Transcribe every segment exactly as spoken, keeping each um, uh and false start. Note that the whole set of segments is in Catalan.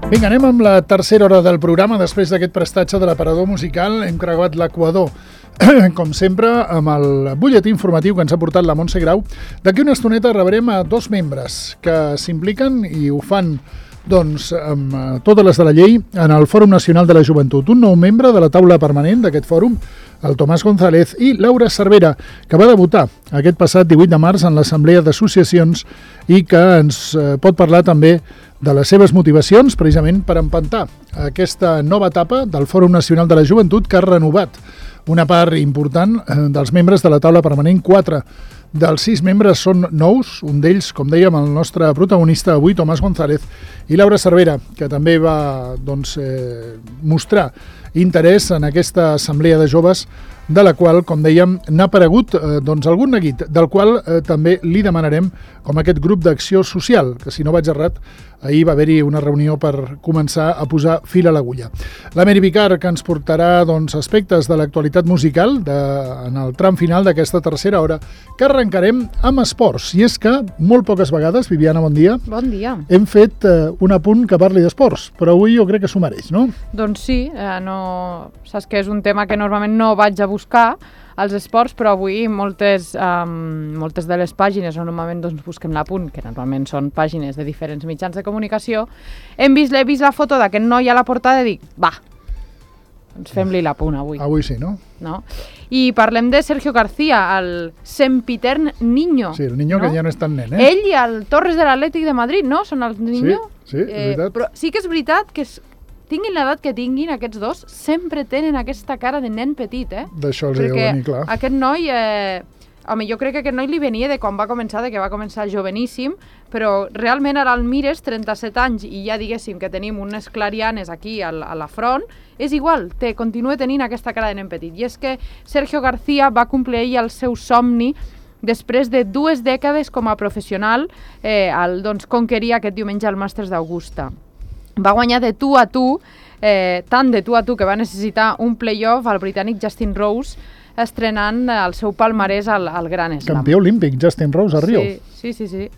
Vinga, anem amb la tercera hora del programa. Després d'aquest prestatge de l'aparador musical hem creuat l'Equador, com sempre, amb el butlletí informatiu que ens ha portat la Montse Grau. D'aquí una estoneta rebrem a dos membres que s'impliquen i ho fan doncs, amb totes les de la llei en el Fòrum Nacional de la Joventut. Un nou membre de la taula permanent d'aquest fòrum, el Tomàs González, i Laura Cervera, que va debutar aquest passat divuit de març en l'Assemblea d'Associacions i que ens pot parlar també de les seves motivacions, precisament per empantar aquesta nova etapa del Fòrum Nacional de la Joventut, que ha renovat una part important dels membres de la taula permanent. Quatre dels sis membres són nous, un d'ells, com dèiem, el nostre protagonista avui, Tomàs González, i Laura Cervera, que també va doncs, eh, mostrar interès en aquesta assemblea de joves, de la qual, com dèiem, n'ha aparegut eh, doncs, algun neguit, del qual eh, també li demanarem com aquest grup d'acció social, que si no vaig errat, ahir va haver-hi una reunió per començar a posar fil a l'agulla. La Meri Vicar, que ens portarà doncs, aspectes de l'actualitat musical de, en el tram final d'aquesta tercera hora, que arrencarem amb esports. I és que molt poques vegades, Viviana, bon dia, bon dia. hem fet eh, un apunt que parli d'esports, però avui jo crec que s'ho mereix, no? Doncs sí, eh, no... saps que és un tema que normalment no vaig a buscar, als esports, però avui moltes, um, moltes de les pàgines on normalment doncs, busquem l'apunt, que normalment són pàgines de diferents mitjans de comunicació, hem vist, he vist la foto d'aquest noi a la portada i dic, va, doncs fem-li l'apunt avui. Avui sí, no? no? I parlem de Sergio García, el sempitern Niño. Sí, el Niño, no? Que ja no és tan nen, eh? Ell i el Torres de l'Atlètic de Madrid, no? Són els Niño? Sí, sí, és eh, veritat. Però sí que és veritat que és, tinguin l'edat que tinguin, aquests dos, sempre tenen aquesta cara de nen petit, eh? D'això els deu venir, clar. Perquè aquest noi, eh, home, jo crec que aquest noi li venia de quan va començar, de que va començar joveníssim, però realment ara el mires, trenta-set anys, i ja diguéssim que tenim unes clarianes aquí a la, a la front, és igual, té, continua tenint aquesta cara de nen petit. I és que Sergio García va complir ell el seu somni després de dues dècades com a professional, eh, el, doncs, conquerir aquest diumenge el Màsters d'Augusta. Va guanyar de tu a tu, eh, tant de tu a tu que va necessitar un play-off al britànic Justin Rose, estrenant el seu palmarès al, al Gran Slam. Campió olímpic, Justin Rose, a Rio. Sí, sí, sí. sí.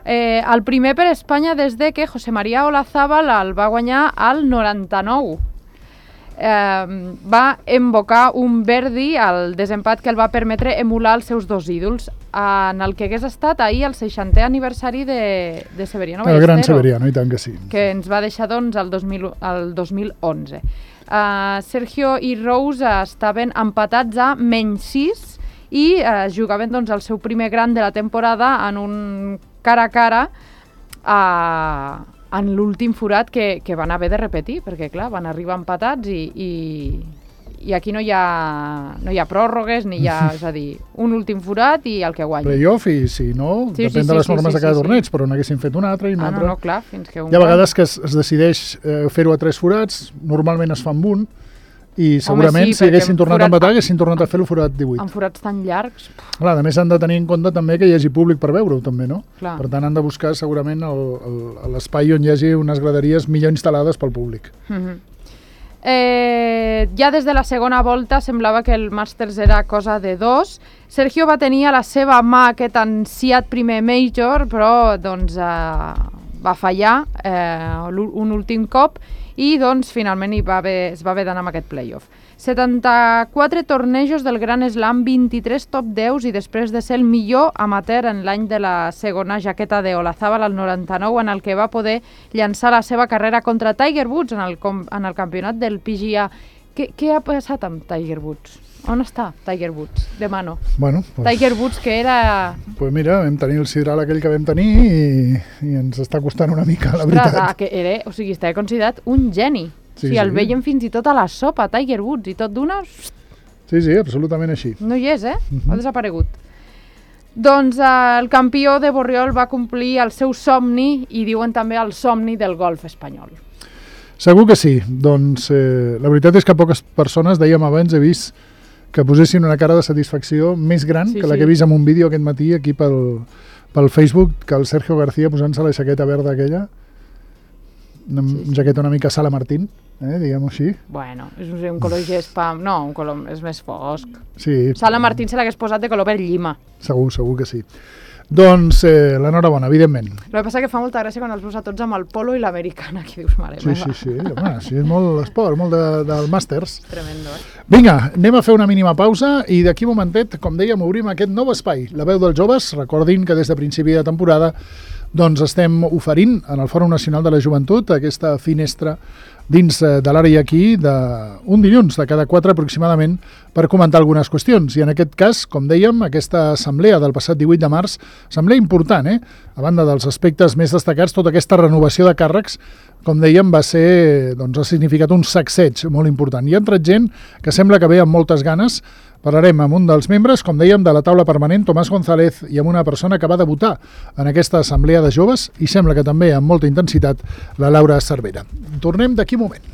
Eh, el primer per Espanya des de que José María Olazábal el va guanyar al noranta-nou. Eh, va invocar un Verdi al desempat que el va permetre emular els seus dos ídols en el que hagués estat ahir el seixantè aniversari de, de Severiano Ballesteros. El gran Severiano, i tant que sí. Que ens va deixar doncs el dos mil, el dos mil onze. Uh, Sergio i Rose uh, estaven empatats a menys sis i uh, jugaven doncs, el seu primer gran de la temporada en un cara a cara a... Uh, en l'últim forat que, que van haver de repetir, perquè clar, van arribar empatats i, i, i aquí no hi, ha, no hi ha pròrrogues, ni hi ha, és a dir, un últim forat i el que guanya. Playoff, i si no, sí, depèn sí, de les sí, normes sí, de cada sí, torneig, sí. però n'haguessin fet un altre i un ah, altre. No, no, clar, fins que un hi ha vegades que es, es decideix eh, fer-ho a tres forats, normalment es fa amb un, i segurament Home, sí, si haguessin tornat forat... a empatar, haguessin tornat a fer el forat divuit. En forats tan llargs... Clar, a més han de tenir en compte també que hi hagi públic per veure-ho, també, no? Clar. Per tant, han de buscar segurament l'espai on hi hagi unes graderies millor instal·lades pel públic. Mm-hmm. eh, ja des de la segona volta semblava que el Màsters era cosa de dos. Sergio va tenir a la seva mà aquest ansiat primer Major, però doncs, eh, va fallar eh, un últim cop i doncs finalment hi va haver, es va haver d'anar amb aquest playoff. setanta-quatre tornejos del Gran Slam, vint-i-tres top deu i després de ser el millor amateur en l'any de la segona jaqueta de Olazábal al noranta-nou, en el que va poder llançar la seva carrera contra Tiger Woods en el, en el campionat del P G A. Què, què ha passat amb Tiger Woods? On està Tiger Woods? De mano. Bueno, pues, Tiger Woods, que era... Doncs pues mira, vam tenir el sidral aquell que vam tenir i, i ens està costant una mica, la veritat. Ostres, que era, o sigui, estava considerat un geni. Sí, o sigui, el sí. veiem fins i tot a la sopa, Tiger Woods, i tot d'una... Sí, sí, absolutament així. No hi és, eh? Uh-huh. Ha desaparegut. Doncs eh, el campió de Borriol va complir el seu somni i diuen també el somni del golf espanyol. Segur que sí. Doncs eh, la veritat és que poques persones, dèiem abans, he vist que posessin una cara de satisfacció més gran sí, que la sí. que he vist en un vídeo aquest matí aquí pel, pel Facebook, que el Sergio García posant-se la jaqueta verda aquella, una sí, sí. jaqueta una mica Sala Martín, eh, diguem-ho així. Bueno, és un color gespa, no, un color és més fosc. Sí. Sala Martín se l'hagués posat de color verd llima. Segur, segur que sí. Doncs eh, l'enhorabona, evidentment. El que passa que fa molta gràcia quan els veus a tots amb el polo i l'americana, que dius, mare Sí, meva. sí, sí, home, sí, és molt esport, molt de, del màsters. Tremendo, eh? Vinga, anem a fer una mínima pausa i d'aquí un momentet, com dèiem, obrim aquest nou espai, la veu dels joves. Recordin que des de principi de temporada doncs estem oferint en el Fòrum Nacional de la Joventut aquesta finestra dins de l'àrea aquí d'un dilluns de cada quatre aproximadament per comentar algunes qüestions. I en aquest cas, com dèiem, aquesta assemblea del passat divuit de març, assemblea important, eh? A banda dels aspectes més destacats, tota aquesta renovació de càrrecs, com dèiem, va ser, doncs, ha significat un sacseig molt important. Hi ha entrat gent que sembla que ve amb moltes ganes. Parlarem amb un dels membres, com dèiem, de la taula permanent, Tomàs González, i amb una persona que va debutar en aquesta assemblea de joves i sembla que també amb molta intensitat, la Laura Cervera. Tornem d'aquí un moment.